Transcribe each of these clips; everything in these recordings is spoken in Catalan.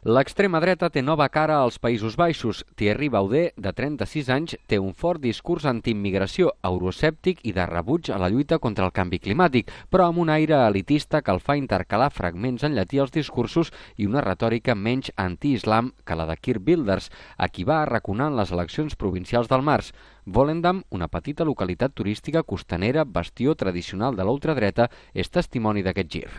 L'extrema dreta té nova cara als Països Baixos. Thierry Baudet, de 36 anys, té un fort discurs antiimmigració, euroescèptic i de rebuig a la lluita contra el canvi climàtic, però amb un aire elitista que el fa intercalar fragments en llatí als discursos i una retòrica menys anti-islam que la de Geert Wilders, a qui va arraconar en les eleccions provincials del març. Volendam, una petita localitat turística costanera, bastió tradicional de l'ultradreta, és testimoni d'aquest gir.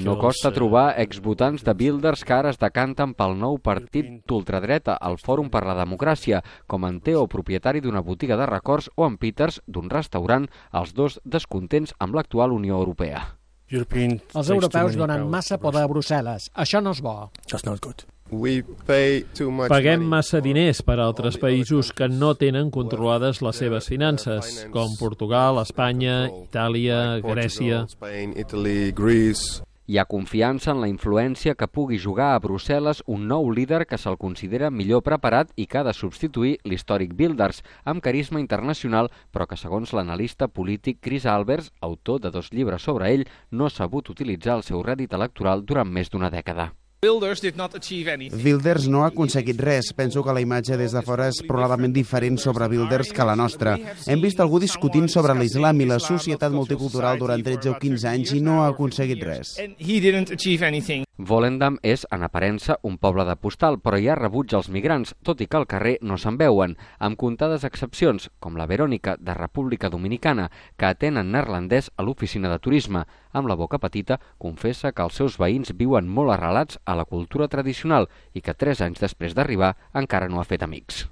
No costa trobar exvotants de Wilders que ara es decanten pel nou partit d'ultradreta, el Fòrum per la Democràcia, com en Theo, propietari d'una botiga de records, o en Peters, d'un restaurant, els dos descontents amb l'actual Unió Europea. Els europeus donen massa poder a Brussel·les. Això no és bo. Paguem massa diners per a altres països que no tenen controlades les seves finances, com Portugal, Espanya, Itàlia, Grècia. Hi ha confiança en la influència que pugui jugar a Brussel·les un nou líder que se'l considera millor preparat i que ha de substituir l'històric Wilders, amb carisma internacional, però que, segons l'analista polític Chris Albers, autor de 2 llibres sobre ell, no ha sabut utilitzar el seu rèdit electoral durant més d'una dècada. Wilders no ha aconseguit res. Penso que la imatge des de fora és probablement diferent sobre Wilders que la nostra. Hem vist algú discutint sobre l'islam i la societat multicultural durant 13 o 15 anys i no ha aconseguit res. Volendam és, en aparença, un poble de postal, però hi ha rebuig als migrants, tot i que al carrer no se'n veuen, amb comptades excepcions, com la Verònica, de República Dominicana, que atén en neerlandès a l'oficina de turisme. Amb la boca petita, confessa que els seus veïns viuen molt arrelats a la cultura tradicional i que 3 anys després d'arribar encara no ha fet amics.